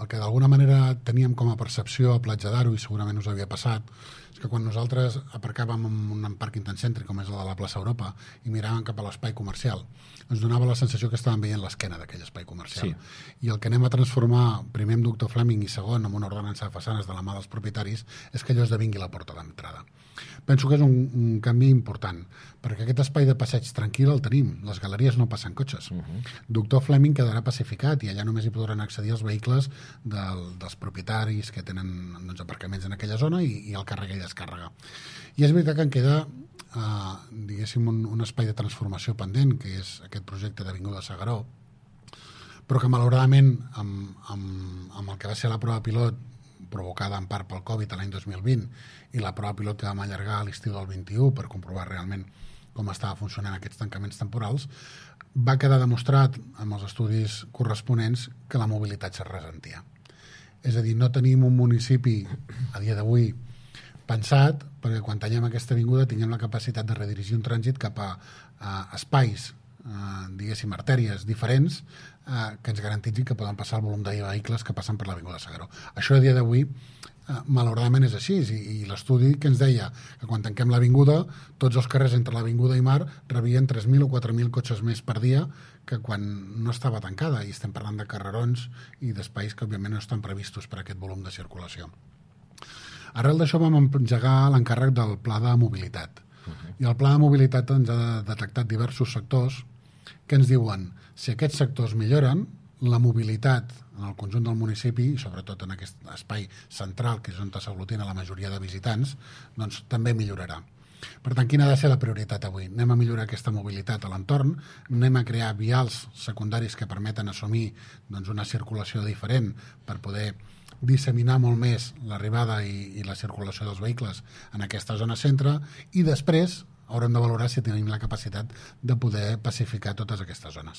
El que d'alguna manera teníem com a percepció a Platja d'Aro, i segurament us havia passat, és que quan nosaltres aparcàvem en un parc intenscèntric com és el de la plaça Europa i miràvem cap a l'espai comercial, ens donava la sensació que estàvem veient l'esquena d'aquell espai comercial. Sí. I el que anem a transformar, primer amb Doctor Fleming i segon amb una ordenança de façanes de la mà dels propietaris, és que allò esdevingui la porta d'entrada. Penso que és un canvi important, perquè aquest espai de passeig tranquil el tenim, les galeries no passen cotxes. Doctor Fleming quedarà pacificat i allà només hi podran accedir els vehicles dels propietaris que tenen aparcaments en aquella zona i el càrrega i descàrrega. I és veritat que en queda diguéssim un espai de transformació pendent, que és aquest projecte d'Avinguda S'Agaró, però que malauradament amb el que va ser la prova pilot provocada en part pel Covid l'any 2020 i la prova pilot que vam allargar a l'estiu del 21 per comprovar realment com estava funcionant aquests tancaments temporals, va quedar demostrat amb els estudis corresponents que la mobilitat es ressentia. És a dir, no tenim un municipi a dia d'avui pensat perquè quan tallem aquesta avinguda tinguem la capacitat de redirigir un trànsit cap a espais, diguéssim, artèries diferents que ens garantitzi que poden passar el volum de vehicles que passen per l'Avinguda S'Agaró. Això a dia d'avui malauradament és així, i l'estudi que ens deia que quan tanquem l'avinguda tots els carrers entre l'avinguda i mar rebien 3.000 o 4.000 cotxes més per dia que quan no estava tancada, i estem parlant de carrerons i d'espais que òbviament no estan previstos per aquest volum de circulació. Arrel d'això vam engegar l'encàrrec del pla de mobilitat, i el pla de mobilitat ens ha detectat diversos sectors que ens diuen si aquests sectors milloren, la mobilitat en el conjunt del municipi, i sobretot en aquest espai central, que és on s'aglutina la majoria de visitants, doncs també millorarà. Per tant, quina ha de ser la prioritat avui? Anem a millorar aquesta mobilitat a l'entorn, anem a crear vials secundaris que permeten assumir una circulació diferent per poder disseminar molt més l'arribada i la circulació dels vehicles en aquesta zona centre, i després haurem de valorar si tenim la capacitat de poder pacificar totes aquestes zones.